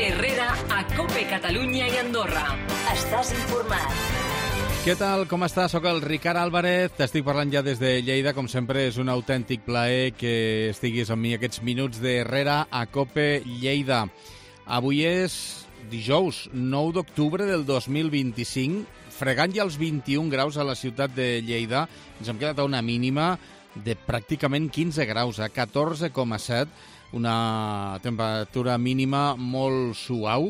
Herrera a COPE Catalunya i Andorra. Estàs informat. Què tal? Com estàs? Soc el Ricard Álvarez, t'estic parlant ja des de Lleida. Com sempre, és un autèntic plaer que estiguis amb mi aquests minuts d'Herrera a COPE Lleida. Avui és dijous, 9 d'octubre del 2025, fregant ja els 21 graus a la ciutat de Lleida. Ens hem quedat a una mínima de pràcticament 15 graus, a 14,7, una temperatura mínima molt suau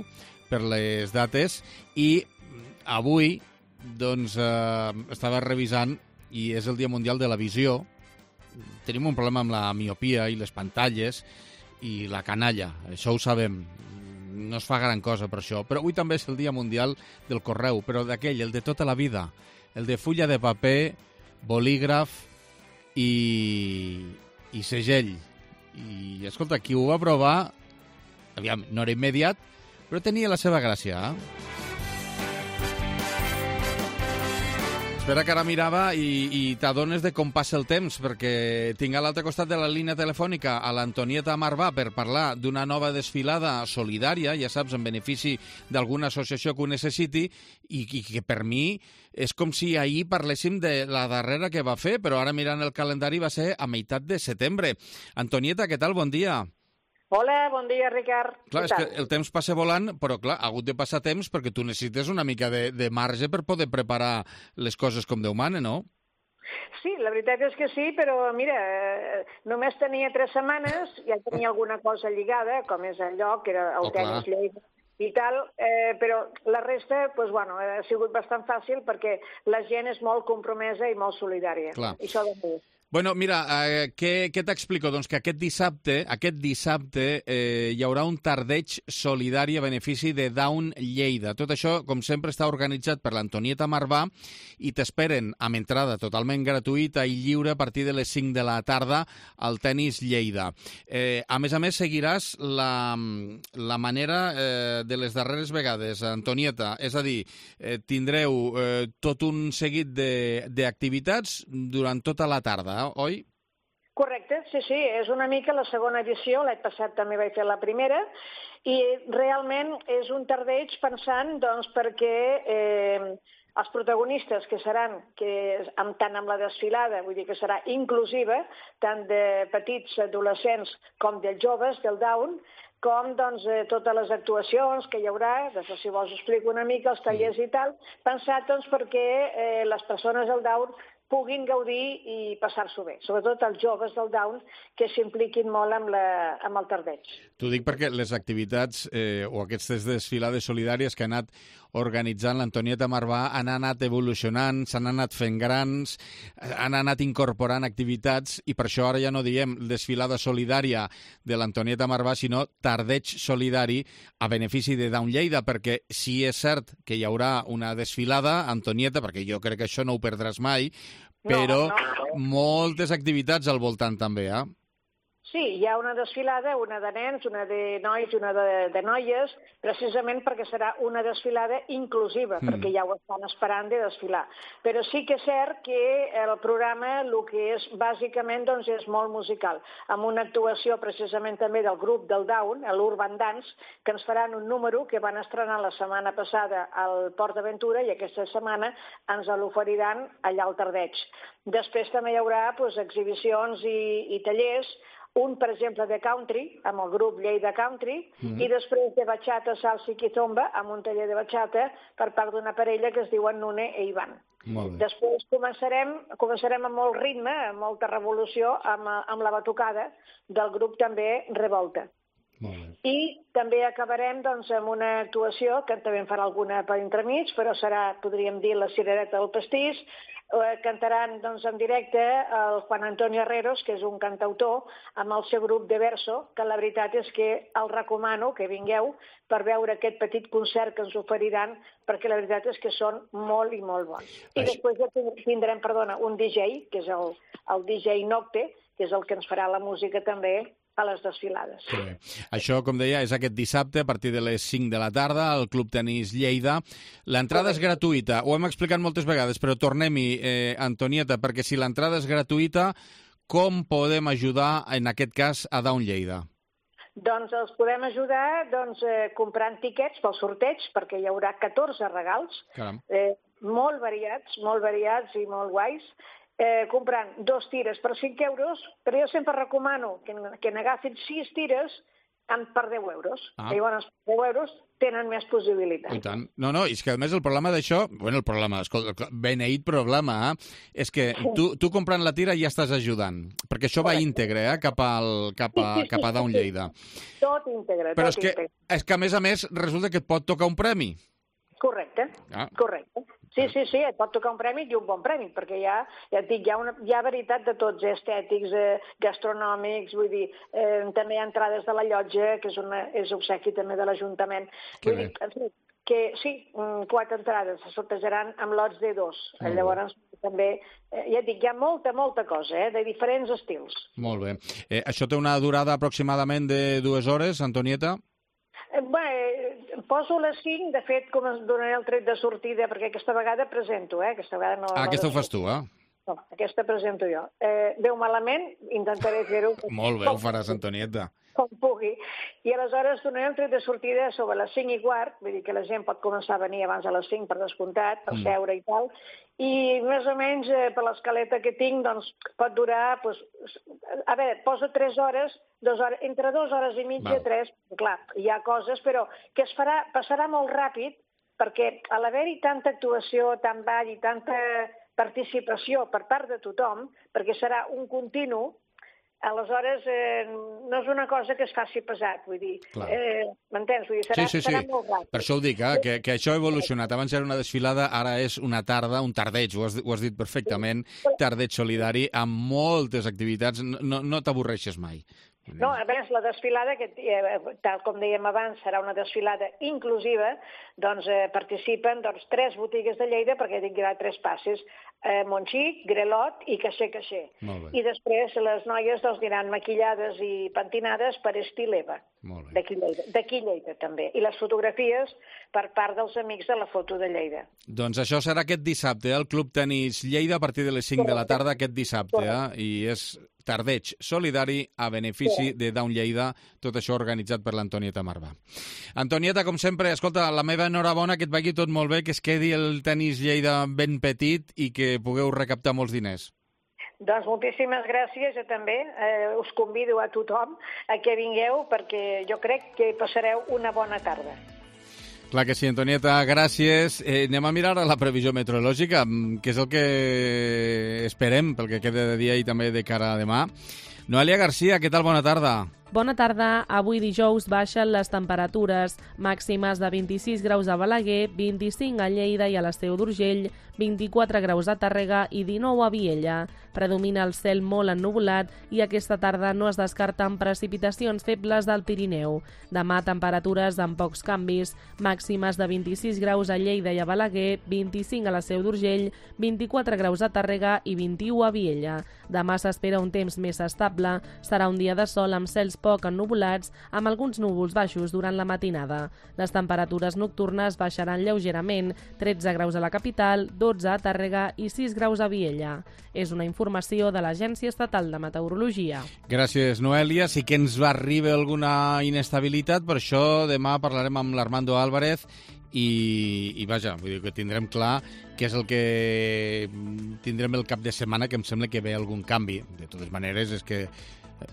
per les dates. I avui, doncs, estava revisant, i és el Dia Mundial de la Visió. Tenim un problema amb la miopia i les pantalles i la canalla, això ho sabem. No es fa gran cosa per això, però avui també és el Dia Mundial del Correu, però d'aquell, el de tota la vida, el de fulla de paper, bolígraf i segell. I, escolta, qui ho va provar, aviam, no era immediat, però tenia la seva gràcia, Espera que ara mirava i t'adones de com passa el temps, perquè tinc a l'altre costat de la línia telefònica a l'Antonieta Marvà per parlar d'una nova desfilada solidària, ja saps, en benefici d'alguna associació que ho necessiti, i que per mi és com si ahir parléssim de la darrera que va fer, però ara mirant el calendari va ser a meitat de setembre. Antonieta, què tal? Bon dia. Hola, bon dia, Ricard. Clar, és que el temps passa volant, però clar, ha hagut de passar temps perquè tu necessites una mica de marge per poder preparar les coses com Déu mana, no? Sí, la veritat és que sí, però mira, només tenia 3 setmanes, ja tenia alguna cosa lligada, com és el lloc, que era el tenis Lleida i tal, però la resta, doncs, bueno, ha sigut bastant fàcil perquè la gent és molt compromesa i molt solidària. Clar. I això de mi. Bueno, mira, què t'explico? Doncs que aquest dissabte hi haurà un tardeig solidari a benefici de Down Lleida. Tot això, com sempre, està organitzat per l'Antonieta Marvà i t'esperen amb entrada totalment gratuïta i lliure a partir de les 5 de la tarda al Tenis Lleida. A més, seguiràs la manera de les darreres vegades, Antonieta. És a dir, tindreu tot un seguit d'activitats durant tota la tarda, oi? Correcte, sí, és una mica la segona edició, l'any passat també vaig fer la primera, i realment és un tardeig pensant doncs, perquè els protagonistes que seran, tant amb la desfilada, vull dir que serà inclusiva, tant de petits adolescents com de joves del Down, com doncs, totes les actuacions que hi haurà, després si vols explico una mica, els tallers i tal, pensat doncs, perquè les persones del Down puguin gaudir i passar-s'ho bé. Sobretot els joves del Down que s'impliquin molt amb el tardeig. T'ho dic perquè les activitats o aquestes desfilades solidàries que ha anat organitzant l'Antonieta Marvà han anat evolucionant, s'han anat fent grans, han anat incorporant activitats i per això ara ja no diem desfilada solidària de l'Antonieta Marvà, sinó tardeig solidari a benefici de Down Lleida, perquè sí és cert que hi haurà una desfilada, Antonieta, perquè jo crec que això no ho perdràs mai, però moltes activitats al voltant també, Sí, hi ha una desfilada, una de nens, una de nois i una de noies, precisament perquè serà una desfilada inclusiva, perquè ja ho estan esperant de desfilar. Però sí que és cert que el programa, el que és bàsicament, doncs, és molt musical, amb una actuació precisament també del grup del Down, l'Urban Dance, que ens faran un número que van estrenar la setmana passada al Port d'Aventura i aquesta setmana ens l'oferiran allà al tardeig. Després també hi haurà exhibicions i tallers, un, per exemple, de country, amb el grup Lleida Country, i després de bachata, salsa i kizomba, amb un taller de bachata per part d'una parella que es diuen Nune e Ivan. Després començarem amb molt ritme, amb molta revolució, amb la batucada del grup també Revolta. I també acabarem doncs, amb una actuació, que també en farà alguna per entremig, però serà, podríem dir, la cirereta del pastís. Cantaran doncs, en directe el Juan Antonio Herreros, que és un cantautor, amb el seu grup de verso, que la veritat és que el recomano que vingueu per veure aquest petit concert que ens oferiran, perquè la veritat és que són molt i molt bons. I després tindrem, un DJ, que és el DJ Nocte, que és el que ens farà la música també a les desfilades. Sí. Això, com deia, és aquest dissabte a partir de les 5 de la tarda al Club Tenis Lleida. L'entrada és gratuïta, ho hem explicat moltes vegades, però tornem-hi, Antonieta, perquè si l'entrada és gratuïta, com podem ajudar, en aquest cas, a Down Lleida? Doncs els podem ajudar comprant tiquets pel sorteig, perquè hi haurà 14 regals, molt variats i molt guais, comprant 2 tires per 5 euros, però jo sempre recomano que n'agafin 6 tires per 10 euros. Llavors, 10 euros tenen més possibilitats. I tant. No, és que a més el problema d'això, beneït problema, és que tu comprant la tira ja estàs ajudant, perquè això va íntegre cap a Down Lleida. Tot íntegre. Però és que a més resulta que et pot tocar un premi. Correcte, correcte. Sí, et pot tocar un premi i un bon premi, perquè ja et dic, hi ha veritat de tots, estètics, gastronòmics, vull dir, també hi ha entrades de la llotja, que és obsequi també de l'Ajuntament. Vull dir, que sí, 4 entrades se sortejaran amb lots de 2. Llavors, també, ja et dic, hi ha molta cosa, de diferents estils. Molt bé. Això té una durada aproximadament de 2 hores, Antonieta? Bé, poso les 5, de fet, com es donaré el tret de sortida, perquè aquesta vegada presento, aquesta vegada no... Aquesta ho fas tu, No, aquesta presento jo. Veu malament, intentaré fer-ho... Molt bé, ho faràs, Antonieta. Com pugui. I aleshores donaré el tret de sortida sobre les 5:15, vull dir que la gent pot començar a venir abans de les 5 per descomptat, per seure i tal, i més o menys per l'escaleta que tinc, doncs pot durar, a veure, poso 3 hores, 2 hores, entre 2 hores i mitja, 3, clar, hi ha coses, però que passarà molt ràpid, perquè a l'haver-hi tanta actuació, tant ball i tanta participació per part de tothom, perquè serà un continu, aleshores no és una cosa que es faci pesat, vull dir, m'entens? Vull dir, serà molt ràpid. Per això ho dic, que això ha evolucionat. Abans era una desfilada, ara és una tarda, un tardeig, ho has dit perfectament, tardeig solidari, amb moltes activitats, no t'avorreixes mai. No, a més, la desfilada, que tal com dèiem abans, serà una desfilada inclusiva, doncs participen 3 botigues de Lleida, perquè hi haurà 3 passes, Montxic, Grelot i Caixer. I després les noies aniran maquillades i pentinades per estil Eva, d'aquí Lleida també. I les fotografies per part dels amics de la foto de Lleida. Doncs això serà aquest dissabte, al Club Tenis Lleida, a partir de les 5 de la tarda aquest dissabte, i és tardeig solidari a benefici de Down Lleida, tot això organitzat per l'Antonieta Marvà. Antonieta, com sempre, escolta, la meva enhorabona, que et vagi tot molt bé, que es quedi el Tenis Lleida ben petit i que pugueu recaptar molts diners. Doncs moltíssimes gràcies, jo també us convido a tothom a que vingueu, perquè jo crec que passareu una bona tarda. Clar que sí, Antonieta, gràcies. Anem a mirar la previsió meteorològica, que és el que esperem pel que queda de dia i també de cara a demà. Noelia Garcia, què tal? Bona tarda. Bona tarda. Avui dijous baixen les temperatures màximes de 26 graus a Balaguer, 25 a Lleida i a l'Esteu d'Urgell, 24 graus a Tàrrega i 19 a Viella. Predomina el cel molt ennuvolat i aquesta tarda no es descarten precipitacions febles del Pirineu. Demà temperatures amb pocs canvis, màximes de 26 graus a Lleida i a Balaguer, 25 a l'Esteu d'Urgell, 24 graus a Tàrrega i 21 a Viella. Demà s'espera un temps més estable, serà un dia de sol amb cels poc ennuvolats, amb alguns núvols baixos durant la matinada. Les temperatures nocturnes baixaran lleugerament, 13 graus a la capital, 12 a Tàrrega i 6 graus a Viella. És una informació de l'Agència Estatal de Meteorologia. Gràcies, Noelia. Sí que ens va arribar alguna inestabilitat, per això demà parlarem amb l'Armando Álvarez i vaja, vull dir que tindrem clar què és el que tindrem el cap de setmana, que em sembla que ve algun canvi. De totes maneres, és que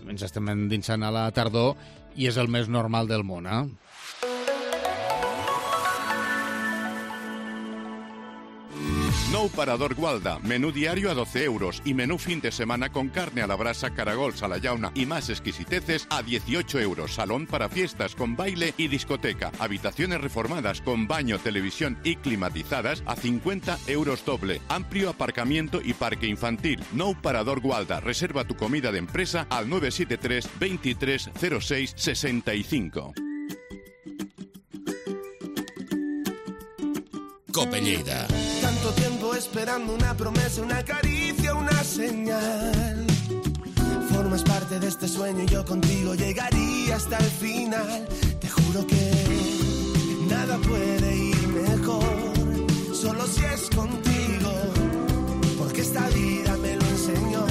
ens estem endinsant a la tardor i és el més normal del món, Nou Parador Gualda, menú diario a 12 euros y menú fin de semana con carne a la brasa, caragols a la llauna y más exquisiteces a 18 euros. Salón para fiestas con baile y discoteca. Habitaciones reformadas con baño, televisión y climatizadas a 50 euros doble. Amplio aparcamiento y parque infantil. Nou Parador Gualda. Reserva tu comida de empresa al 973 23 06 65. Cope Lleida. Tanto tiempo esperando una promesa, una caricia, una señal. Formas parte de este sueño y yo contigo llegaría hasta el final. Te juro que nada puede ir mejor, solo si es contigo, porque esta vida me lo enseñó.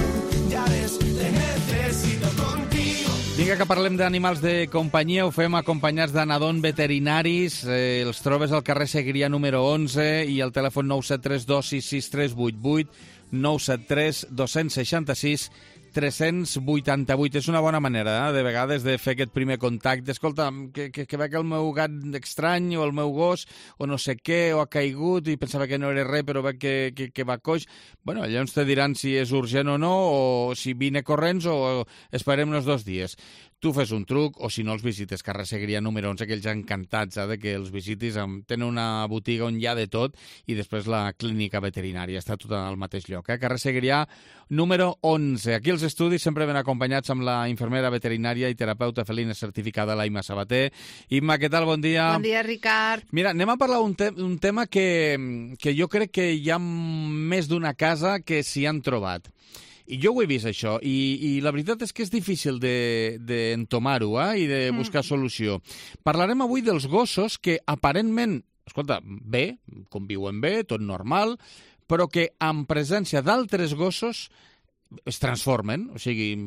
Ya ves, te necesito contigo. Vinga, dia que parlem d'animals de companyia ho fem acompanyats de Nadon Veterinaris. Els trobes al carrer Segrià número 11 i al telèfon 973 266 388, 973 266 388. És una bona manera, de vegades, de fer aquest primer contacte. Escolta, que veig el meu gat estrany o el meu gos o no sé què, o ha caigut i pensava que no era res, però veig que va coix. Bueno, llavors te diran si és urgent o no, o si vine corrents o esperem uns 2 dies. Tu fes un truc, o si no els visites carrer Segrià número 11, que ells encantats de que els visitis. Tenen una botiga on hi ha de tot i després la clínica veterinària. Està tot al mateix lloc. Carrer Segrià número 11. Aquí els estudis sempre ben acompanyats amb la infermera veterinària i terapeuta felina certificada, la Imma Sabater. Imma, què tal? Bon dia. Bon dia, Ricard. Mira, anem a parlar un tema que jo crec que hi ha més d'una casa que s'hi han trobat. I jo ho he vist, això, i la veritat és que és difícil d'entomar-ho i de buscar solució. Parlarem avui dels gossos que aparentment, escolta, bé, conviuen bé, tot normal, però que en presència d'altres gossos es transformen, o sigui,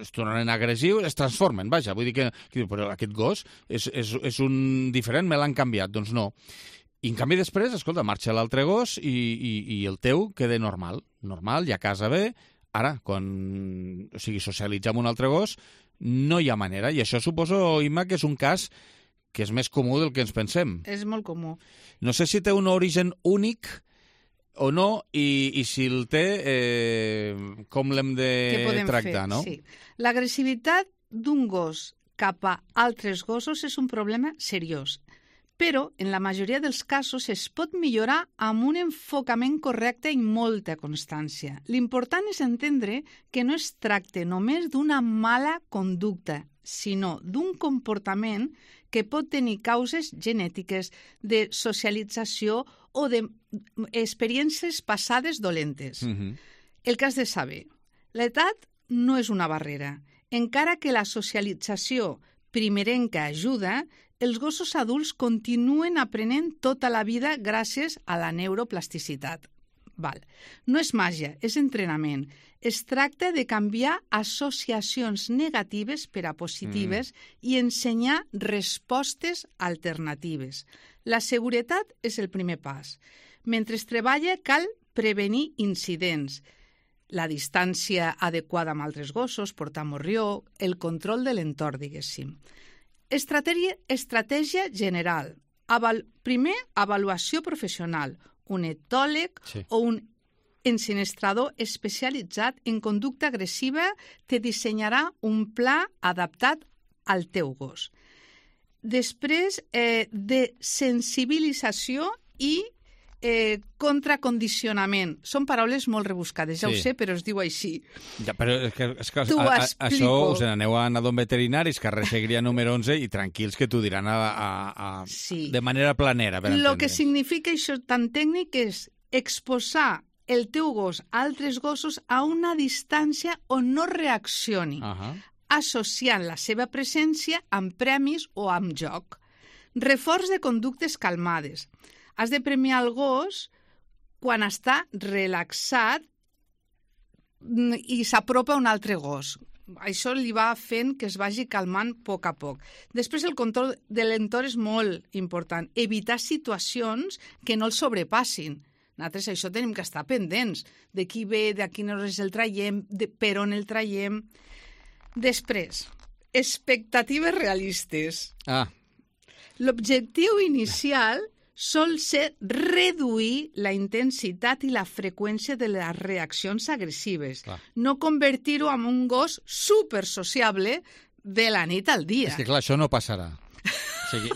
es tornen agressius, es transformen, vaja, vull dir que però aquest gos és un diferent, me l'han canviat, doncs no. I en canvi després, escolta, marxa l'altre gos i el teu queda normal, i a casa bé. Ara, quan socialitzar amb un altre gos, no hi ha manera. I això suposo, Imma, que és un cas que és més comú del que ens pensem. És molt comú. No sé si té un origen únic o no, i si el té, com l'hem de tractar, no? Sí. L'agressivitat d'un gos cap a altres gossos és un problema seriós. Però, en la majoria dels casos, es pot millorar amb un enfocament correcte i molta constància. L'important és entendre que no es tracta només d'una mala conducta, sinó d'un comportament que pot tenir causes genètiques, de socialització o d'experiències passades dolentes. El que has de saber, l'edat no és una barrera. Encara que la socialització primerenca ajuda, els gossos adults continuen aprenent tota la vida gràcies a la neuroplasticitat. No és màgia, és entrenament. Es tracta de canviar associacions negatives per a positives i ensenyar respostes alternatives. La seguretat és el primer pas. Mentre es treballa, cal prevenir incidents. La distància adequada amb altres gossos, portar morrió, el control de l'entorn, diguéssim. Estratègia general. Primer, avaluació professional. Un etòleg o un ensinistrador especialitzat en conducta agressiva te dissenyarà un pla adaptat al teu gos. Després, de sensibilització i contracondicionament. Són paraules molt rebuscades, ja ho sé, però es diu així. Ja, però és que això us n'aneu a Nadon Veterinaris, carrer Segrià número 11, i tranquils que t'ho diran de manera planera. El que significa això tan tècnic és exposar el teu gos a altres gossos a una distància on no reaccioni, associant la seva presència amb premis o amb joc. Reforç de conductes calmades. Has de premiar el gos quan està relaxat i s'apropa a un altre gos. Això li va fent que es vagi calmant a poc a poc. Després, el control de l'entorn és molt important. Evitar situacions que no el sobrepassin. Nosaltres això tenim que estar pendents. De qui ve, de a quines hores el traiem, per on el traiem. Després, expectatives realistes. L'objectiu inicial sol ser reduir la intensitat i la freqüència de les reaccions agressives. No convertir-ho en un gos supersociable de la nit al dia. És que clar, això no passarà. O sigui,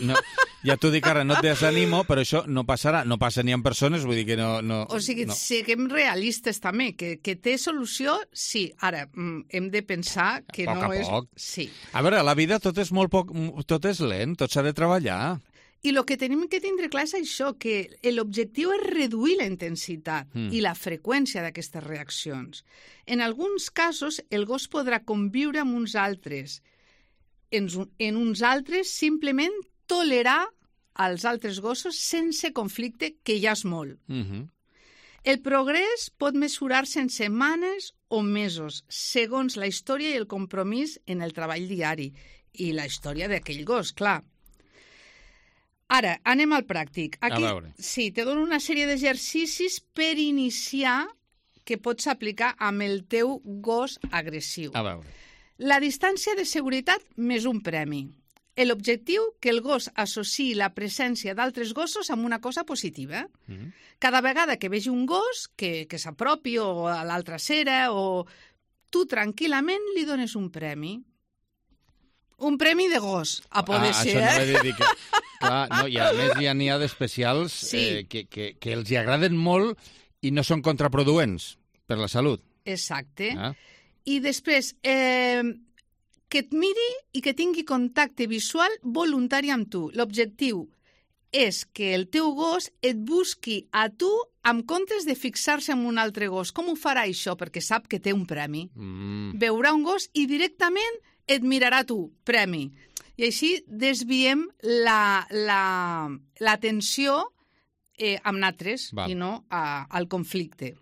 ja t'ho dic ara, no et desanimo, però això no passarà. No passa ni en persones, vull dir que no... O sigui, siguem realistes també, que té solució, sí. Ara, hem de pensar que no és... A poc. Sí. A veure, la vida tot és lent, tot s'ha de treballar. I el que tenim que tindre clar és això, que l'objectiu és reduir la intensitat i la freqüència d'aquestes reaccions. En alguns casos, el gos podrà conviure amb uns altres. En uns altres, simplement tolerar als altres gossos sense conflicte, que ja és molt. El progrés pot mesurar-se en setmanes o mesos, segons la història i el compromís en el treball diari i la història d'aquell gos, clar. Ara, anem al pràctic. Aquí, a veure. Sí, te dono una sèrie d'exercicis per iniciar que pots aplicar amb el teu gos agressiu. A veure. La distància de seguretat més un premi. L'objectiu, que el gos associï la presència d'altres gossos amb una cosa positiva. Cada vegada que vegi un gos que s'apropi o a l'altra acera o tu tranquil·lament li dones un premi. Un premi de gos, a poder ser, Això no he de dir que... Clar, no, i a més n'hi ha d'especials que els hi agraden molt i no són contraproduents per la salut. Exacte. I després, que et miri i que tingui contacte visual voluntari amb tu. L'objectiu és que el teu gos et busqui a tu en comptes de fixar-se en un altre gos. Com ho farà això? Perquè sap que té un premi. Veurà un gos i directament et mirarà a tu, premi. I així desviem l'atenció amb nosaltres i no al conflicte.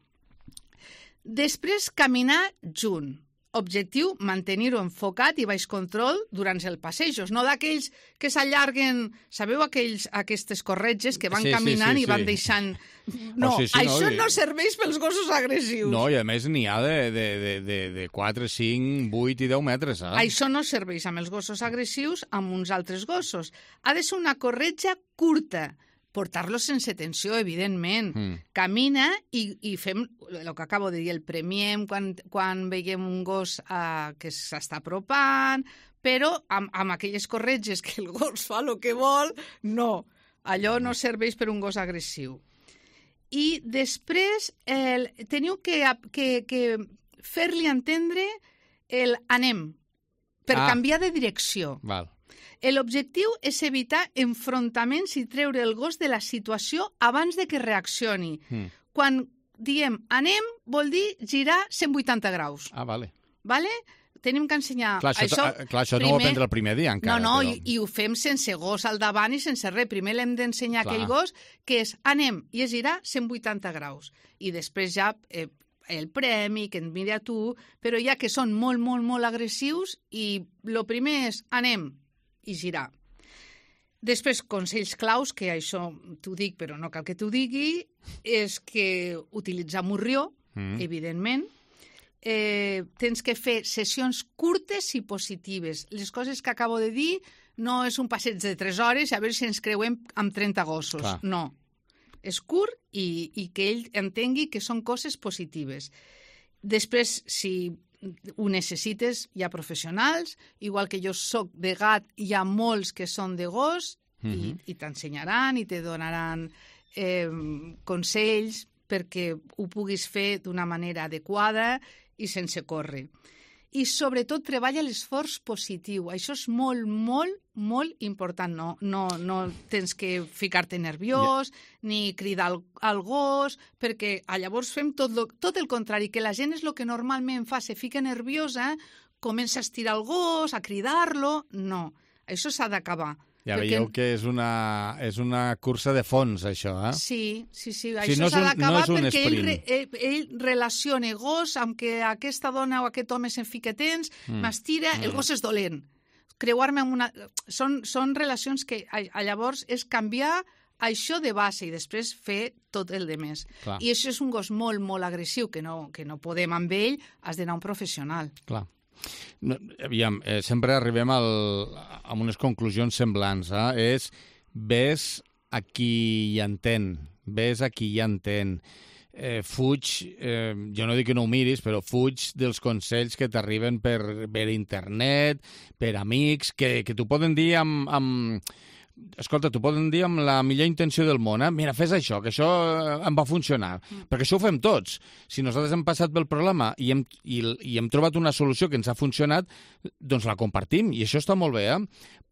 Després, caminar junt. Objectiu, mantenir-ho enfocat i baix control durant els passejos, no d'aquells que s'allarguen, sabeu aquestes corretges que van caminant i van deixant... No, això no serveix pels gossos agressius. No, i a més n'hi ha de 4, 5, 8 i 10 metres. Això no serveix amb els gossos agressius, amb uns altres gossos. Ha de ser una corretja curta, portar-los sense tensió, evidentment. Camina i fem el que acabo de dir, el premiem quan veiem un gos que s'està apropant, però amb aquelles corretges que el gos fa el que vol, no. Allò no serveix per un gos agressiu. I després teniu que fer-li entendre el anem, per canviar de direcció. Val. L'objectiu és evitar enfrontaments i treure el gos de la situació abans de que reaccioni. Quan diem anem, vol dir girar 180 graus. Vale. Vale? Tenim que ensenyar... Clar, això no ho aprendre el primer dia encara. No, i ho fem sense gos al davant i sense res. Primer l'hem d'ensenyar a aquell gos que és anem i és girar 180 graus. I després ja el premi, que et miri a tu, però ja que són molt, molt, molt agressius i el primer és anem i girar. Després, consells claus, que això t'ho dic però no cal que t'ho digui, és que utilitzar morrió, evidentment. Tens que fer sessions curtes i positives. Les coses que acabo de dir no és un passeig de 3 hores a veure si ens creuem amb 30 gossos. Clar. No. És curt i que ell entengui que són coses positives. Després, si ho necessites, hi ha professionals, igual que jo soc de gat, hi ha molts que són de gos i t'ensenyaran i te donaran consells perquè ho puguis fer d'una manera adequada i sense córrer. I sobretot treballa l'esforç positiu. Això és molt, molt, molt important. No tens que ficar-te nerviós ni cridar al gos, perquè llavors fem tot el contrari, que la gent és el que normalment fa, se fica nerviosa, comença a estirar el gos, a cridar-lo... No, això s'ha d'acabar. Ja veieu que és una cursa de fons, això, Sí, això s'ha d'acabar perquè ell relaciona gos amb que aquesta dona o aquest home se'n fica tens, m'estira, el gos és dolent. Creuar-me amb una... Són relacions que llavors és canviar això de base i després fer tot el de més. Clar. I això és un gos molt, molt agressiu, que no podem amb ell, has d'anar a un professional. Clar. No, aviam, sempre arribem a unes conclusions semblants. És ves a qui hi entén, ves a qui hi entén. Fuig, jo no dic que no ho miris, però fuig dels consells que t'arriben per internet, per amics, que t'ho poden dir Escolta, t'ho poden dir amb la millor intenció del món, Mira, fes això, que això em va funcionar. Perquè això ho fem tots. Si nosaltres hem passat pel problema i hem trobat una solució que ens ha funcionat, doncs la compartim, i això està molt bé,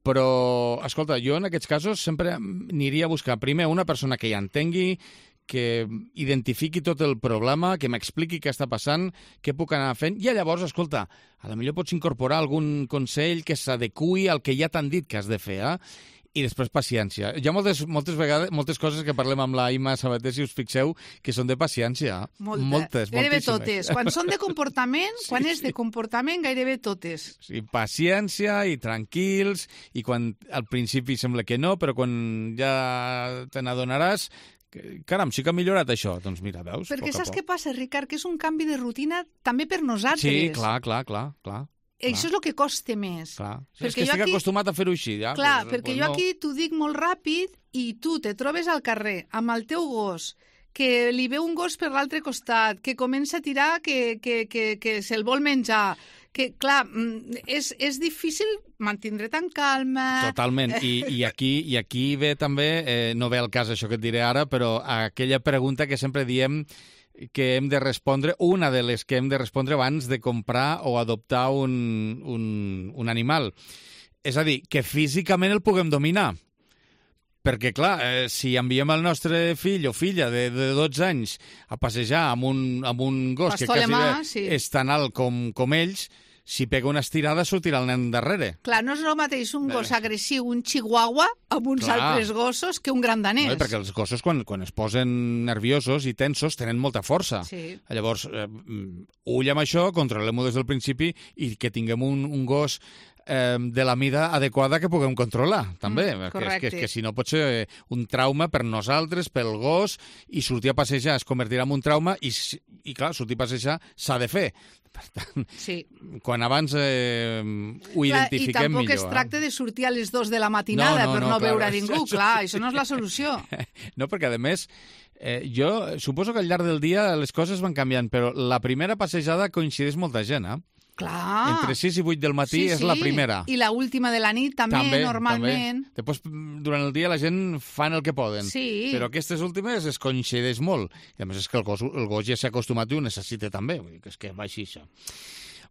Però, escolta, jo en aquests casos sempre aniria a buscar primer una persona que hi entengui, que identifiqui tot el problema, que m'expliqui què està passant, què puc anar fent, i llavors, escolta, a la millor pots incorporar algun consell que s'adequi al que ja t'han dit que has de fer, I després paciència. Hi ha moltes vegades, moltes coses que parlem amb la Imma Sabater, si us fixeu, que són de paciència. Moltes, gairebé moltíssimes. totes. Quan són de comportament, quan és de comportament, gairebé totes. Sí, paciència i tranquils, i quan al principi sembla que no, però quan ja te n'adonaràs, caram, sí que ha millorat això. Doncs mira, veus? Perquè saps què passa, Ricard? Que és un canvi de rutina també per nosaltres. Sí, clar. Això és el que costa més. Clar. És que estic acostumat a fer-ho així. Ja? Clar, perquè jo aquí t'ho dic molt ràpid i tu te trobes al carrer amb el teu gos, que li veu un gos per l'altre costat, que comença a tirar, que se'l vol menjar, que, clar, és difícil mantindre tan calma... Totalment. I aquí ve també, no ve al cas això que et diré ara, però aquella pregunta que sempre diem que hem de respondre, una de les que hem de respondre abans de comprar o adoptar un animal. És a dir, que físicament el puguem dominar. Perquè, clar, si enviem el nostre fill o filla de 12 anys a passejar amb un gos que quasi és tan alt com ells, si pega una estirada sortirà el nen darrere. Clar, no és el mateix un gos agressiu, un chihuahua, amb uns altres gossos que un gran danès. No, perquè els gossos, quan es posen nerviosos i tensos, tenen molta força. Sí. Llavors, ull amb això, controlem-ho des del principi i que tinguem un gos de la mida adequada que puguem controlar, també. Que si no pot ser un trauma per nosaltres, pel gos, i sortir a passejar es convertirà en un trauma i clar, sortir a passejar s'ha de fer. Per tant, quan abans ho identifiquem millor. I tampoc es tracta de sortir a les 2 de la matinada per no veure ningú. Clar, això no és la solució. No, perquè a més, jo suposo que al llarg del dia les coses van canviant, però la primera passejada coincideix molta gent, Clar. Entre 6 i 8 del matí és la primera. I la última de la nit també normalment. També. Després, durant el dia, la gent fan el que poden. Sí. Però aquestes últimes es coincideix molt. I a més és que el gos ja s'ha acostumat i ho necessita també. Vull dir que és que va així, això.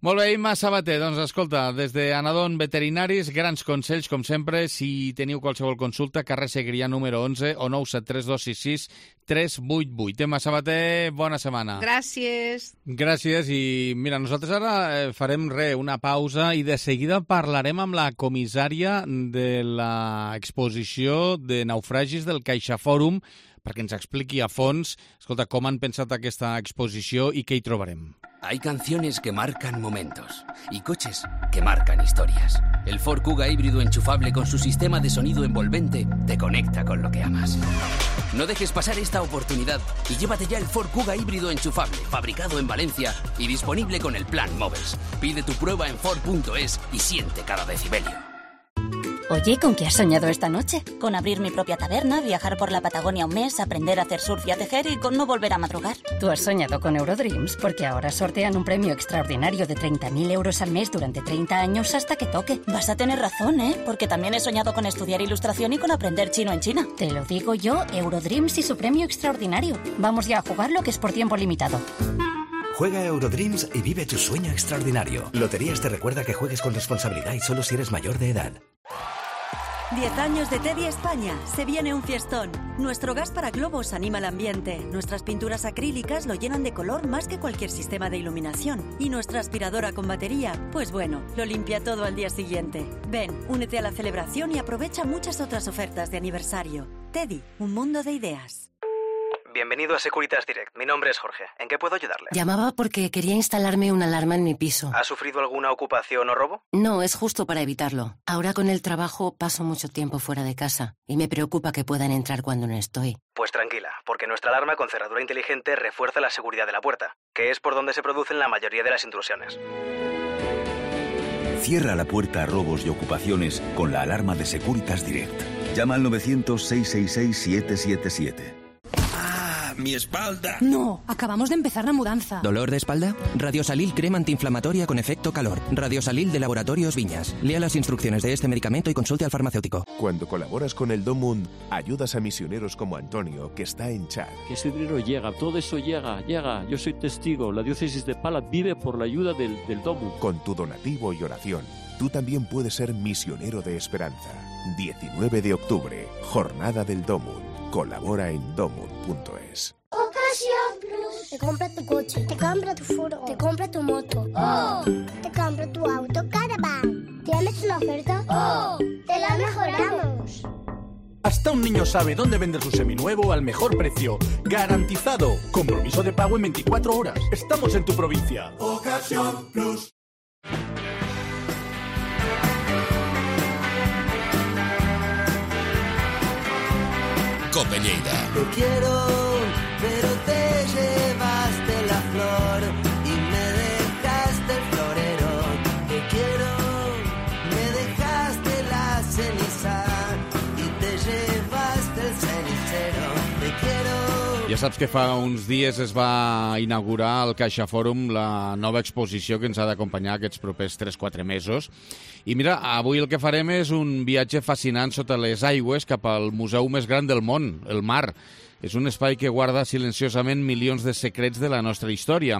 Molt bé, Imma Sabater, doncs escolta, des de Anadon Veterinaris, grans consells, com sempre. Si teniu qualsevol consulta, carrer Segrià número 11 o 973 266 388. Imma Sabater, bona setmana. Gràcies. Gràcies, i mira, nosaltres ara farem una pausa i de seguida parlarem amb la comissària de l'exposició de naufragis del CaixaFòrum perquè ens expliqui a fons, escolta, com han pensat aquesta exposició i què hi trobarem. Hay canciones que marcan momentos y coches que marcan historias. El Ford Kuga híbrido enchufable con su sistema de sonido envolvente te conecta con lo que amas. No dejes pasar esta oportunidad y llévate ya el Ford Kuga híbrido enchufable, fabricado en Valencia y disponible con el plan Moves. Pide tu prueba en Ford.es y siente cada decibelio. Oye, ¿con qué has soñado esta noche? Con abrir mi propia taberna, viajar por la Patagonia un mes, aprender a hacer surf y a tejer y con no volver a madrugar. Tú has soñado con Eurodreams porque ahora sortean un premio extraordinario de 30.000 euros al mes durante 30 años hasta que toque. Vas a tener razón, ¿eh? Porque también he soñado con estudiar ilustración y con aprender chino en China. Te lo digo yo, Eurodreams y su premio extraordinario. Vamos ya a jugarlo, que es por tiempo limitado. Juega Eurodreams y vive tu sueño extraordinario. Loterías te recuerda que juegues con responsabilidad y solo si eres mayor de edad. 10 años de Teddy España. Se viene un fiestón. Nuestro gas para globos anima el ambiente. Nuestras pinturas acrílicas lo llenan de color más que cualquier sistema de iluminación. Y nuestra aspiradora con batería, pues bueno, lo limpia todo al día siguiente. Ven, únete a la celebración y aprovecha muchas otras ofertas de aniversario. Teddy, un mundo de ideas. Bienvenido a Securitas Direct. Mi nombre es Jorge. ¿En qué puedo ayudarle? Llamaba porque quería instalarme una alarma en mi piso. ¿Ha sufrido alguna ocupación o robo? No, es justo para evitarlo. Ahora con el trabajo paso mucho tiempo fuera de casa y me preocupa que puedan entrar cuando no estoy. Pues tranquila, porque nuestra alarma con cerradura inteligente refuerza la seguridad de la puerta, que es por donde se producen la mayoría de las intrusiones. Cierra la puerta a robos y ocupaciones con la alarma de Securitas Direct. Llama al 900-666-777. ¡Mi espalda! No, acabamos de empezar la mudanza. ¿Dolor de espalda? Radiosalil crema antiinflamatoria con efecto calor. Radiosalil de Laboratorios Viñas. Lea las instrucciones de este medicamento y consulte al farmacéutico. Cuando colaboras con el DOMUND, ayudas a misioneros como Antonio, que está en Chad. Que ese dinero llega, todo eso llega. Yo soy testigo. La diócesis de Palat vive por la ayuda del DOMUND. Con tu donativo y oración, tú también puedes ser misionero de esperanza. 19 de octubre, Jornada del DOMUND. Colabora en domund.es. Ocasión Plus. Te compra tu coche, te compra tu furgo, te compra tu moto. ¡Oh! Te compra tu auto Caravan. ¿Tienes una oferta? ¡Oh! ¡Te la mejoramos! Hasta un niño sabe dónde vender su seminuevo al mejor precio. ¡Garantizado! Compromiso de pago en 24 horas. Estamos en tu provincia. Ocasión Plus. Cope Lleida. Te quiero, pero te llevaste la flor y me dejaste el florero. Te quiero, me dejaste la ceniza y te llevaste el cenicero. Te quiero. Ja saps que fa uns dies es va inaugurar al Caixa Fòrum la nova exposició que ens ha d'acompanyar aquests propers 3-4 mesos. I mira, avui el que farem és un viatge fascinant sota les aigües cap al museu més gran del món, el mar. És un espai que guarda silenciosament milions de secrets de la nostra història.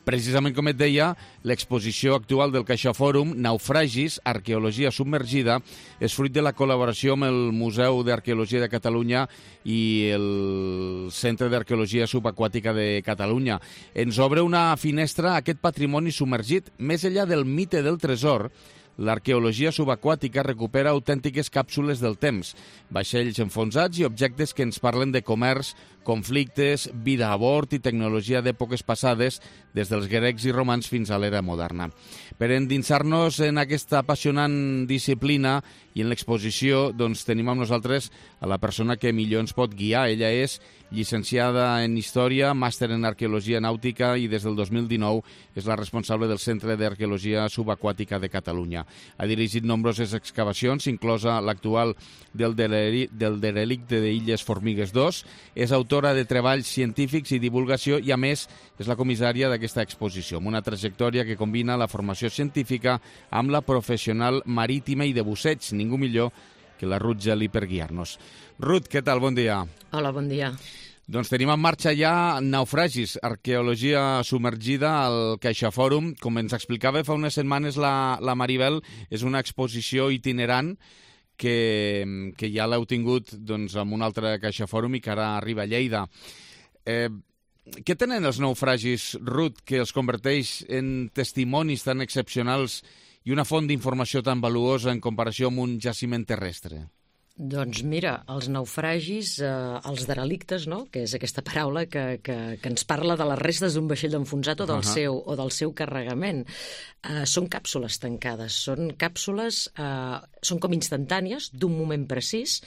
Precisament com et deia, l'exposició actual del Caixa Fòrum, Naufragis, Arqueologia submergida, és fruit de la col·laboració amb el Museu d'Arqueologia de Catalunya i el Centre d'Arqueologia Subaquàtica de Catalunya. Ens obre una finestra a aquest patrimoni submergit. Més enllà del mite del tresor, l'arqueologia subaquàtica recupera autèntiques càpsules del temps, vaixells enfonsats i objectes que ens parlen de comerç, conflictes, vida a bord i tecnologia d'èpoques passades, des dels grecs i romans fins a l'era moderna. Per endinsar-nos en aquesta apassionant disciplina i en l'exposició, doncs tenim amb nosaltres a la persona que millor ens pot guiar. Ella és llicenciada en Història, màster en Arqueologia Nàutica i des del 2019 és la responsable del Centre d'Arqueologia Subaquàtica de Catalunya. Ha dirigit nombroses excavacions, inclosa l'actual del derelicte d'Illes Formigues 2, és autora de treballs científics i divulgació i, a més, és la comissària d'aquesta exposició, amb una trajectòria que combina la formació científica amb la professional marítima i de busseig, ningú millor que la Ruth Geli per guiar-nos. Ruth, què tal? Bon dia. Hola, bon dia. Doncs tenim en marxa ja Naufragis, arqueologia submergida al Caixa Fòrum. Com ens explicava fa unes setmanes la Maribel, és una exposició itinerant que ja l'heu tingut doncs, amb un altre Caixa Fòrum i que ara arriba a Lleida. Què tenen els naufragis, Ruth, que els converteix en testimonis tan excepcionals i una font d'informació tan valuosa en comparació amb un jaciment terrestre? Doncs mira, els naufragis, els derelictes, no? Que és aquesta paraula que ens parla de les restes d'un vaixell enfonsat o del seu carregament. Són càpsules tancades, són càpsules, són com instantànies d'un moment precís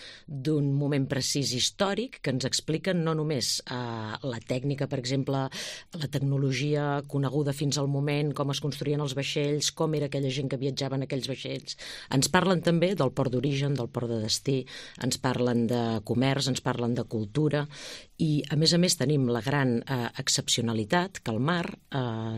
històric que ens expliquen no només la tècnica, per exemple, la tecnologia coneguda fins al moment, com es construïen els vaixells, com era aquella gent que viatjava en aquells vaixells. Ens parlen també del port d'origen, del port de destí, ens parlen de comerç, ens parlen de cultura i, a més, tenim la gran excepcionalitat que el mar,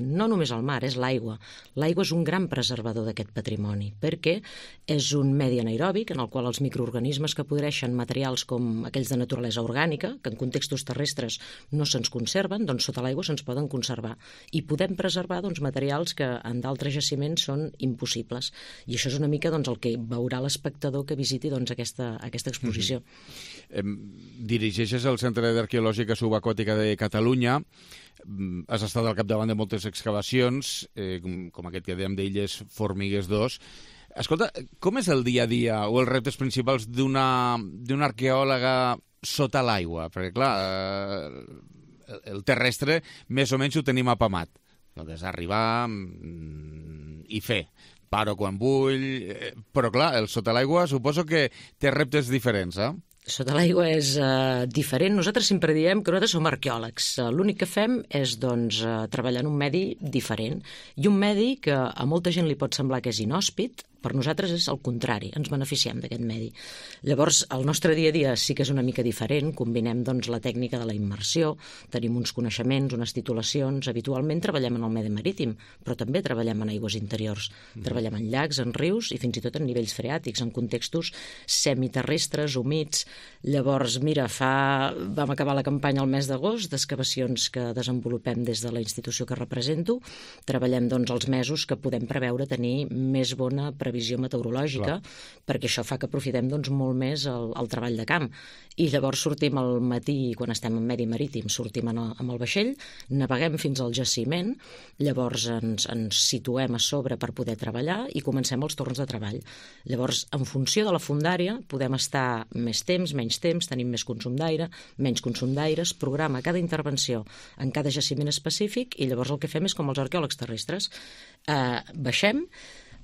no només el mar, és l'aigua. L'aigua és un gran preservador d'aquest patrimoni perquè és un medi anaeròbic en el qual els microorganismes que podreixen materials com aquells de naturalesa orgànica, que en contextos terrestres no se'ns conserven, doncs sota l'aigua se'ns poden conservar. I podem preservar materials que en d'altres jaciments són impossibles. I això és una mica el que veurà l'espectador que visiti aquesta exposició. Dirigeixes el Centre d'Arqueològica Subaquàtica de Catalunya. Has estat al capdavant de moltes excavacions, com aquest que dèiem d'Illes Formigues 2. Escolta, com és el dia a dia o els reptes principals d'una arqueòloga sota l'aigua? Perquè, clar, el terrestre més o menys ho tenim apamat. És arribar i fer. Paro quan vull, però clar, el sota l'aigua suposo que té reptes diferents, eh? Sota l'aigua és diferent. Nosaltres sempre diem que nosaltres som arqueòlegs. L'únic que fem és treballar en un medi diferent. I un medi que a molta gent li pot semblar que és inhòspit, per nosaltres és el contrari, ens beneficiem d'aquest medi. Llavors, el nostre dia a dia sí que és una mica diferent, combinem la tècnica de la immersió, tenim uns coneixements, unes titulacions, habitualment treballem en el medi marítim, però també treballem en aigües interiors, treballem en llacs, en rius i fins i tot en nivells freàtics, en contextos semiterrestres, humits. Llavors, mira, vam acabar la campanya el mes d'agost d'excavacions que desenvolupem des de la institució que represento, treballem els mesos que podem preveure tenir més bona previsió previsió meteorològica, perquè això fa que aprofitem doncs, molt més el treball de camp. I llavors sortim al matí, quan estem en medi marítim, sortim amb el vaixell, naveguem fins al jaciment, llavors ens situem a sobre per poder treballar i comencem els torns de treball. Llavors, en funció de la fondària, podem estar més temps, menys temps, tenim més consum d'aire, menys consum d'aire, es programa cada intervenció en cada jaciment específic i llavors el que fem és com els arqueòlegs terrestres. Baixem,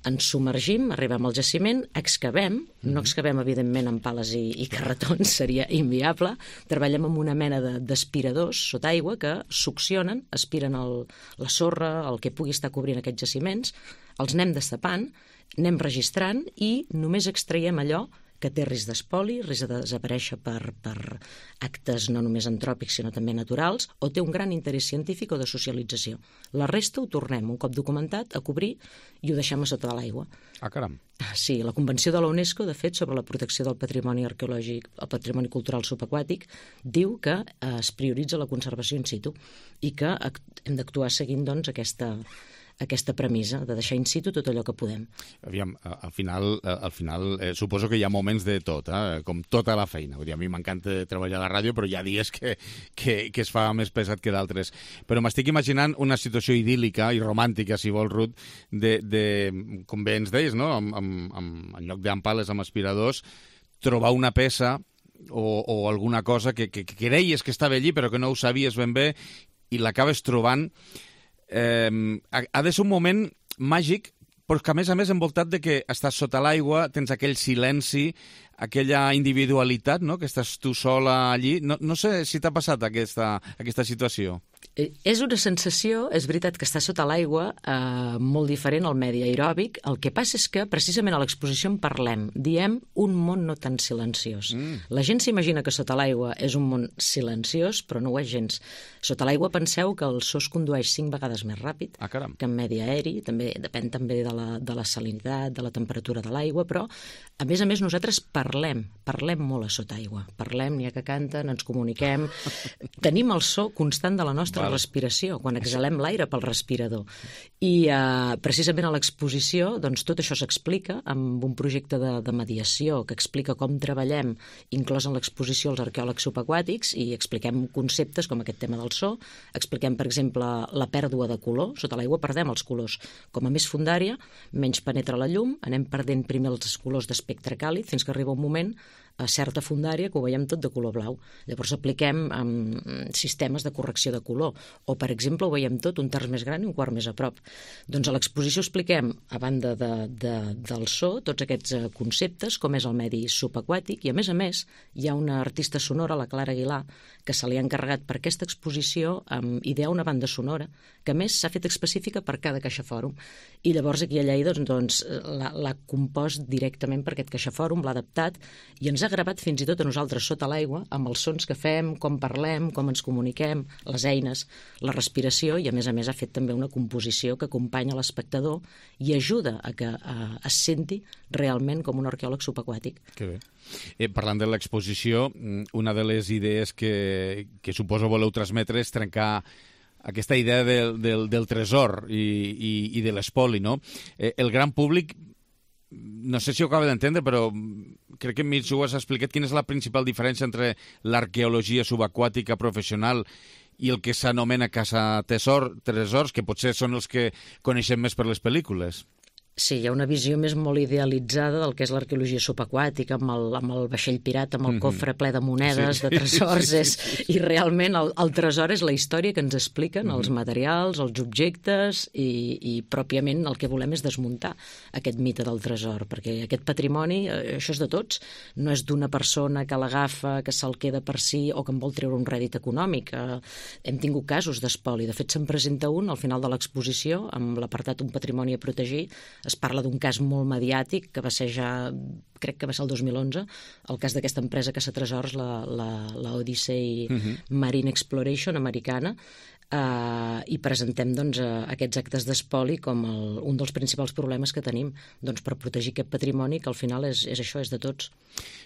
ens submergim, arribem al jaciment, excavem, no excavem evidentment amb pales i carretons, seria inviable, treballem amb una mena d'aspiradors sota aigua que succionen, aspiren la sorra, el que pugui estar cobrint aquests jaciments, els anem destapant, anem registrant i només extraiem allò que té risc d'espoli, risc de desaparèixer per actes no només antròpics sinó també naturals, o té un gran interès científic o de socialització. La resta ho tornem, un cop documentat, a cobrir i ho deixem a sota de l'aigua. Ah, caram. Sí, la Convenció de la UNESCO, de fet, sobre la protecció del patrimoni arqueològic, el patrimoni cultural subaquàtic, diu que es prioritza la conservació in situ i que hem d'actuar seguint doncs, aquesta premissa de deixar in situ tot allò que podem. Aviam, al final suposo que hi ha moments de tot, com tota la feina. Vull dir, a mi m'encanta treballar a la ràdio, però hi ha dies que es fa més pesat que d'altres. Però m'estic imaginant una situació idíl·lica i romàntica, si vols, Ruth, com bé ens deies, no? En lloc d'ampales amb aspiradors, trobar una peça o alguna cosa que creies que estava allí però que no ho sabies ben bé i l'acabes trobant. Ha de ser un moment màgic, però que a més envoltat de que estàs sota l'aigua, tens aquell silenci, aquella individualitat, no?, que estàs tu sola allí. No sé si t'ha passat aquesta situació. És una sensació, és veritat que està sota l'aigua, molt diferent al medi aeròbic. El que passa és que precisament a l'exposició en parlem, diem un món no tan silenciós. La gent s'imagina que sota l'aigua és un món silenciós, però no ho és gens. Sota l'aigua penseu que el so es condueix 5 vegades més ràpid que en medi aeri, depèn també de la salinitat, de la temperatura de l'aigua, però a més nosaltres parlem molt a sota aigua. Parlem, n'hi ha que canten, ens comuniquem, tenim el so constant de la nostra respiració, quan exhalem l'aire pel respirador. I precisament a l'exposició doncs, tot això s'explica amb un projecte de mediació que explica com treballem, inclòs en l'exposició els arqueòlegs subaquàtics, i expliquem conceptes com aquest tema del so, expliquem, per exemple, la pèrdua de color. Sota l'aigua perdem els colors. Com a més fondària, menys penetra la llum, anem perdent primer els colors d'espectre càlid fins que arriba un moment a certa fondària que ho veiem tot de color blau. Llavors apliquem sistemes de correcció de color. O, per exemple, ho veiem tot un terç més gran i un quart més a prop. Doncs a l'exposició expliquem, a banda del so, tots aquests conceptes, com és el medi subaquàtic, i a més hi ha una artista sonora, la Clara Aguilar, que se li ha encarregat per aquesta exposició idear una banda sonora, que a més s'ha fet específica per cada CaixaFòrum. I llavors aquí a Lleida doncs, l'ha compost directament per aquest CaixaFòrum, l'ha adaptat i ens ha gravat fins i tot a nosaltres sota l'aigua amb els sons que fem, com parlem, com ens comuniquem, les eines, la respiració, i a més ha fet també una composició que acompanya l'espectador i ajuda a que es senti realment com un arqueòleg subaquàtic. Que bé. Parlant de l'exposició, una de les idees que suposo voleu transmetre és trencar aquesta idea del tresor i de l'espoli, no? El gran públic, no sé si ho acaba d'entendre, però crec que a mi ho has explicat, quina és la principal diferència entre l'arqueologia subaquàtica professional i el que s'anomena caça-tresors, que potser són els que coneixem més per les pel·lícules. Sí, hi ha una visió molt idealitzada del que és l'arqueologia subaquàtica, amb el vaixell pirata, amb el cofre ple de monedes, de tresors, i realment el tresor és la història que ens expliquen, els materials, els objectes, i pròpiament el que volem és desmuntar aquest mite del tresor, perquè aquest patrimoni, això és de tots, no és d'una persona que l'agafa, que se'l queda per si o que en vol treure un rèdit econòmic. Hem tingut casos d'espoli, de fet se'n presenta un al final de l'exposició, amb l'apartat Un patrimoni a protegir. Es parla d'un cas molt mediàtic que va ser ja, crec que va ser el 2011, el cas d'aquesta empresa caça-tresors, la Odyssey Marine Exploration americana, i presentem doncs, aquests actes d'espoli com un dels principals problemes que tenim doncs, per protegir aquest patrimoni que al final és això, és de tots.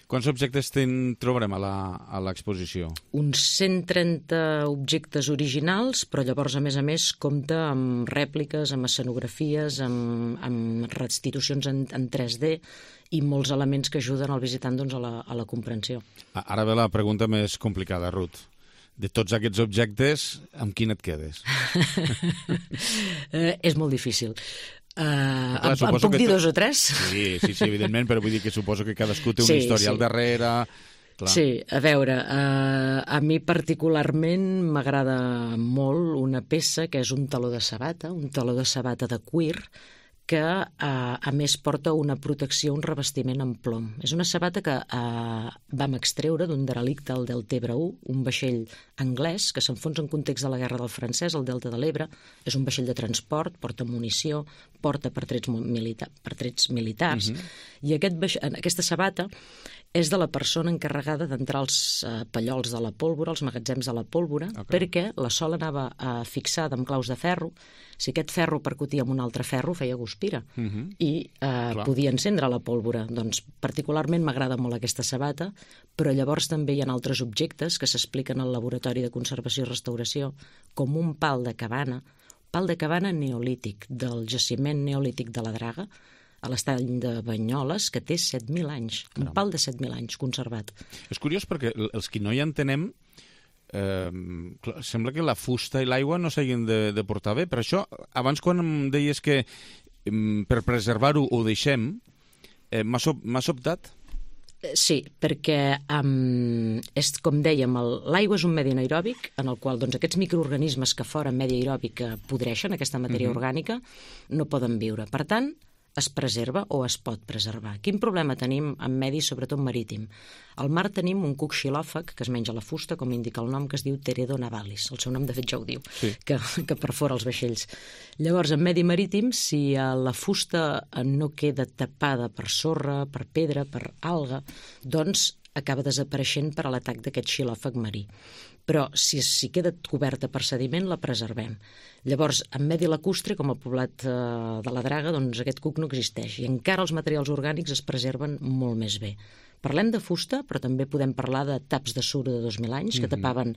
Quants objectes trobarem a l'exposició? Uns 130 objectes originals, però llavors a més compta amb rèpliques, amb escenografies, amb restitucions en 3D i molts elements que ajuden al visitant doncs, a la comprensió. Ara ve la pregunta més complicada, Ruth. De tots aquests objectes, amb quin et quedes? És molt difícil. Em puc dir 2 o 3? Sí, evidentment, però vull dir que suposo que cadascú té una història al darrere. Clar. Sí, a veure, a mi particularment m'agrada molt una peça que és un taló de sabata de cuir, que a més porta una protecció, un revestiment en plom. És una sabata que vam extreure d'un derelicte al Delta Ebre 1, un vaixell anglès que s'enfonsa en context de la Guerra del Francès, al Delta de l'Ebre. És un vaixell de transport, porta munició, porta pertrets militars, i aquesta sabata és de la persona encarregada d'entrar als pallols de la pólvora, als magatzems de la pólvora, perquè la sola anava fixada amb claus de ferro. Si aquest ferro percutia amb un altre ferro, feia guspira i podia encendre la pólvora. Doncs particularment m'agrada molt aquesta sabata, però llavors també hi ha altres objectes que s'expliquen al Laboratori de Conservació i Restauració, com un pal de cabana neolític, del jaciment neolític de la Draga, a l'estany de Banyoles, que té 7.000 anys. Un pal de 7.000 anys conservat. És curiós perquè els que no hi entenem sembla que la fusta i l'aigua no s'hagin de portar bé. Per això, abans quan em deies que per preservar-ho ho deixem, m'ha sobtat? Sí, perquè és com dèiem, l'aigua és un medi anaeròbic en el qual aquests microorganismes que fora en medi aeròbic podreixen aquesta matèria orgànica no poden viure. Per tant, es preserva o es pot preservar. Quin problema tenim en medi, sobretot marítim? Al mar tenim un cuc xilòfag que es menja la fusta, com indica el nom, que es diu Teredo navalis. El seu nom, de fet, ja ho diu, que perfora els vaixells. Llavors, en medi marítim, si la fusta no queda tapada per sorra, per pedra, per alga, doncs acaba desapareixent per a l'atac d'aquest xilòfag marí. Però si queda coberta per sediment, la preservem. Llavors, en medi lacustre, com el poblat de la Draga, doncs aquest cuc no existeix i encara els materials orgànics es preserven molt més bé. Parlem de fusta, però també podem parlar de taps de suro de 2.000 anys que tapaven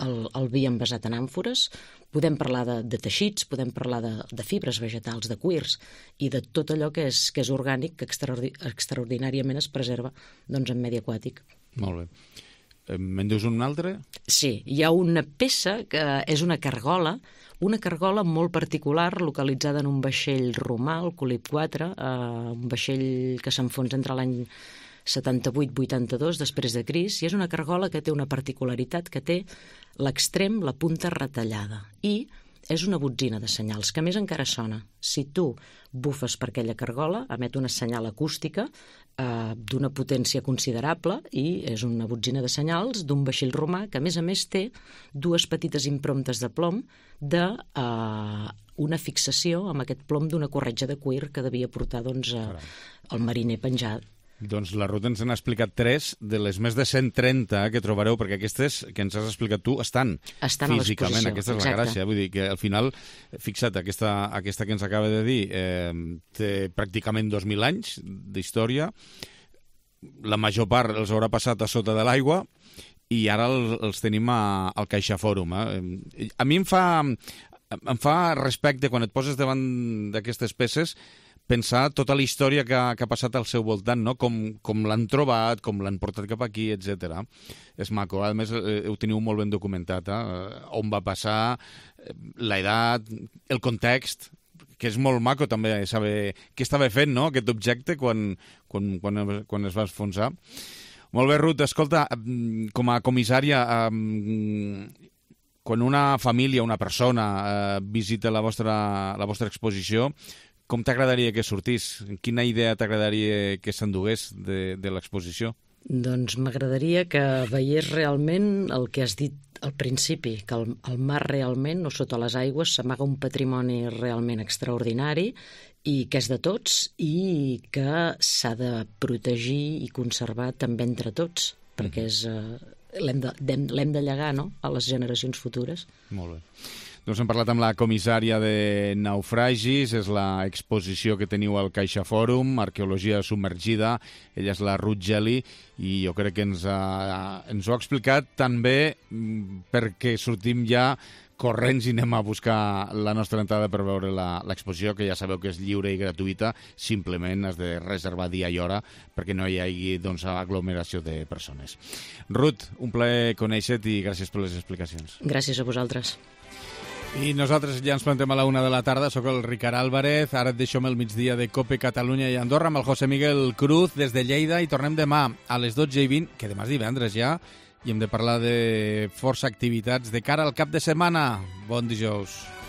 el vi envasat en àmfores, podem parlar de teixits, podem parlar de fibres vegetals, de cuirs i de tot allò que és orgànic que extraordinàriament es preserva en medi aquàtic. Molt bé. Me'n dius un altre? Sí, hi ha una peça que és una cargola molt particular localitzada en un vaixell romà, el Colip 4, un vaixell que s'enfonsa entre l'any 78-82 després de Crist, i és una cargola que té una particularitat, que té l'extrem, la punta retallada, i és una botzina de senyals, que a més encara sona. Si tu bufes per aquella cargola, emet una senyal acústica d'una potència considerable i és una botzina de senyals d'un vaixell romà que, a més, té 2 petites impromptes de plom d'una fixació amb aquest plom d'una corretja de cuir que devia portar el mariner penjat. Doncs la Ruth ens n'ha explicat 3 de les més de 130 que trobareu, perquè aquestes que ens has explicat tu estan físicament. Aquesta és la gràcia. Vull dir que al final, fixa't, aquesta que ens acaba de dir té pràcticament 2.000 anys d'història. La major part els haurà passat a sota de l'aigua i ara els tenim al CaixaForum. A mi em fa respecte quan et poses davant d'aquestes peces pensar tota la història que ha passat al seu voltant, no? Com l'han trobat, com l'han portat cap aquí, etc. És maco. A més, ho teniu molt ben documentat, on va passar, l'edat, el context, que és molt maco també saber què estava fent, no?, aquest objecte quan es va enfonsar. Molt bé, Ruth, escolta, com a comissària, quan una família, una persona visita la vostra exposició, com t'agradaria que sortís? Quina idea t'agradaria que s'endugués de l'exposició? Doncs m'agradaria que veiés realment el que has dit al principi, que al mar realment, o sota les aigües, s'amaga un patrimoni realment extraordinari i que és de tots i que s'ha de protegir i conservar també entre tots, perquè l'hem de llegar, no?, a les generacions futures. Molt bé. Doncs hem parlat amb la comissària de naufragis, és l'exposició que teniu al Caixa Fòrum, Arqueologia submergida, ella és la Ruth Geli, i jo crec que ens ho ha explicat tan bé perquè sortim ja corrents i anem a buscar la nostra entrada per veure l'exposició, que ja sabeu que és lliure i gratuïta, simplement has de reservar dia i hora perquè no hi hagi aglomeració de persones. Ruth, un plaer conèixer-te i gràcies per les explicacions. Gràcies a vosaltres. I nosaltres ja ens plantem a la 1 de la tarda. Soc el Ricard Álvarez, ara et deixo amb el migdia de COPE Catalunya i Andorra amb el José Miguel Cruz des de Lleida i tornem demà a les 12:20, que demà és divendres ja, i hem de parlar de força activitats de cara al cap de setmana. Bon dijous.